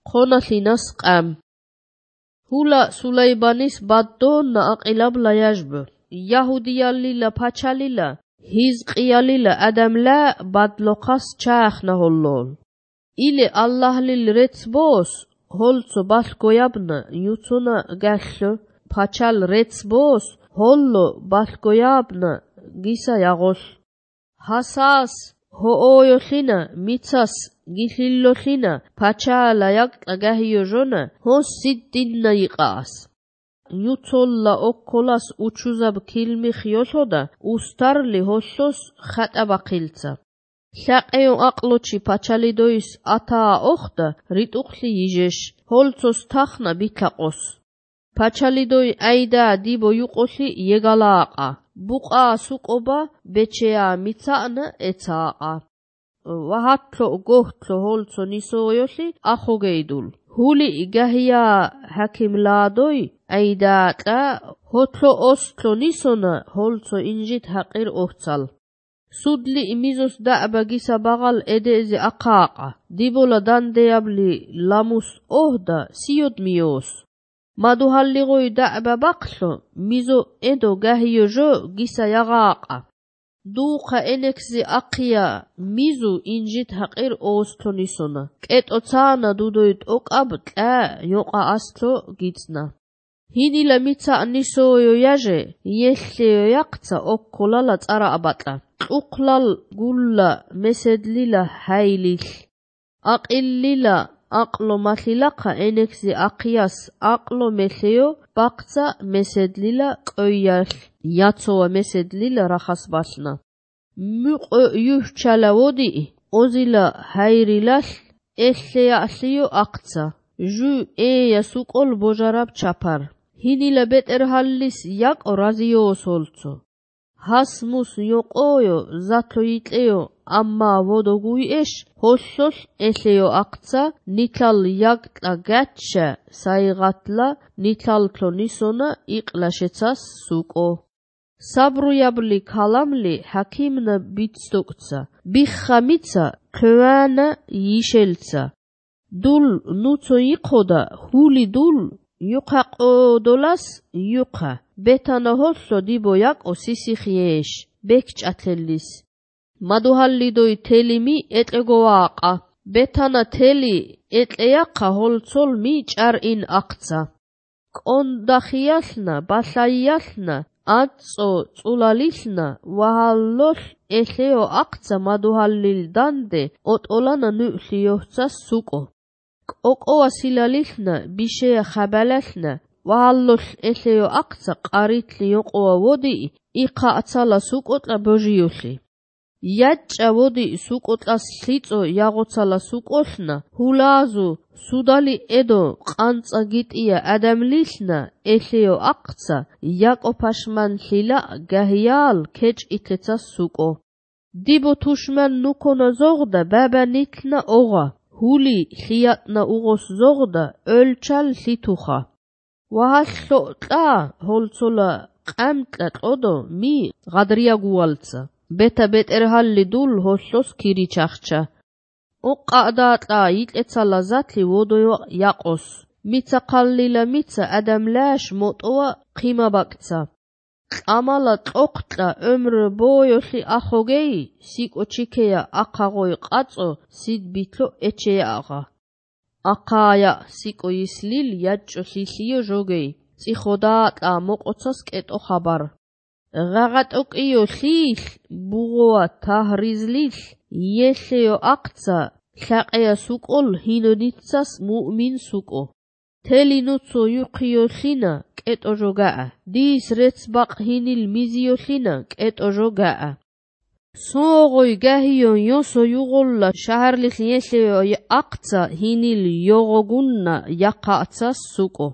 ხონასინას ყამ. ჰულა სულაიბანის ბადდონა აყილაბლა яжბ. იაჰუდიალილა ფაჩალილა, ჰიზყიალილა ადამლა ბადლოხას ჩაახნა ჰოლლოლ. ილე ალლაჰლილ რეცბოს ჰოლცო ბალგოიაბნა იუცუნა გახლო ფაჩალ რეცბოს ჰოლლო ბალგოიაბნა გისა яғოს. ჰასას ჰოოიოხინა მიცას გიხილლოხინა ფაჩალა იაკტა გაჰიოჟონა ჰოს სიდდინნა იყას. იუცოლლა ოქოლას უჩუზაბ ქილმი ხიოშოდა უსტარლი ჰოშოს ხატაბახილცა. ლაყეო აყლოჩი ფაჩალიდოის ათაა ოხდა რიტუხლი იჟეშ ჰოლცოს თახნა ბიქაყოს. ფაჩალიდოი აიდა დებო იუყოში ეგალააყა. ბუყა სუყობა ბეჩეა მიცანა ეცააყა. ვაჰათლო გოჰთლო ჰოლცო ნისოიოში ახოგეიდულ. ჰული გაჰია ჰაკიმლადოი აიდაატა ჰოთლო ოსთლო ნისონა ჰოლცო ინჟით ჰაყირ ოხცალ. სუდლი იმიზოს დააბა გისა ბაღალ ედეზე აყააყა. დებოლა დანდეაბლი ლამუს ოჰდა სიოდ მიოს. მადუჰალლიღოი დააბა ბაყლო მიზო ედო გაჰიოჟო გისა яғააყა. დუხა ენექსი აყია მიზუ ინჟით ჰაყირ ოოსთლო ნისონა. კეტო ცაანა დუდოით ოკაბ ტა იოყა ასთლო გიცნა. ჰინილა მიცა ნისოიო яжე იეშლიო яқცა ოქოლალა წარა აბატლა. ყუყლალ გულლა მესედლილა ჰაილილ. აყილლილა აყლო მალილაყა ენექსი აყიას აყლო მეხეო ბაყცა მესედლილა ყოიალ. იაცოა მესედლილა რახას ბალნა. მუყო იუჰჩალა ვოდი ოზილა ჰაირილალ ეშლიალიო აყცა. ჟუ ეია სუყოლ ბოჟარაბ ჩაფარ. ჰინილა ბეტერჰალლის იაკო რაზიოს ჰოლცო. ჰასმუს იოყოიო ზათლო იტეო ამმა ვოდოგუი ეშ ჰოშოშ ეშეო აყცა ნითალ იაკტა გაჩა საიღატლა ნითალთლო ნისონა იყლა შეცას სუყო. საბრუიაბლი ქალამლი ჰაკიმნა ბიცდოկცა. ბიხა მიცა ქვანა იშელცა. დულ ნუცო იყოდა ჰული დულ იუყაყოდოლას იუყა. ბეთანა ჰოლსო დებო იაკო სისიხიეშ ბეკჭათელlis. მადუჰალლიდოი თელიმი ეტეგოააყა. ბეთანა თელი ეტეაყა ჰოლცოლ μή ჭარინ აყცა. კონდახიალნა ბასაიალნა აწო წულალისნა ვაჰალლოშ ეშეო აყცა მადუჰალლილ დანდე ოტოლანა ნუხლიოხცა სუყო. კოკოა სილალისნა ბიშეა ხაბალასნა ვაჰალლოშ ეშეო აყცა ყარითლი იოყოა ვოდი იყა აცალა სუყოტლა ბოჟიოხი. იაჭა ვოდი სუყოტლას ლიწო яғოცალა სუყოშნა ჰულაზუ სუდალი ედო ყანწა გიტია ადამლისნა ეშეო აყცა იაკოფაშმან ლილა გაჰიალ ქეჭ ითეცა სუყო. დებო თუშმან ნუქონა ზოღდა ბაბა ნითლნა ოღა. ჰული ხიატნა უღოს ზოღდა ოლჩალ ლითუხა. ვაჰალლო ტა ჰოლცოლა ყამტლა ყოდო მი ღადრია გუალცა. ბეთა ბეტერჰალლი დულ ჰოლლოს ქირიჩახჩა. ოყადატა იტეცალა ზათლი ვოდოյო яყოს. მიცა ყალლილა მიცა ადამლაშ მოტოა ყიმაბაკცა. ყამალა ტოყტლა ომრ ბოიოხი ახოგეი სიკო ჩიქეა ახაღოი ყაწო სიდბითლო ეჩეააღა. აყაია სიკო ისლილ იაჭო ლილიო ჟოგეი. წიხოდაატა მოყოცას კეტო ხაბარ. ღაღატოკიო ლილ ბუღოა თაჰრიზლილ იეშეო აყცა ლაყეა სუყოლ ჰინონიცას მუ'მინ სუყო. თელი ნუცო იუყიოხინა კეტო ჟოგაა. დის რეცბაყ ჰინილ მიზიოხინა კეტო ჟოგაა. სოღოი გაჰიონ იოსო იუღოლლა შაჰარლიხ იეშეო აყცა ჰინილ იოღოგუნნა яқაცას სუყო.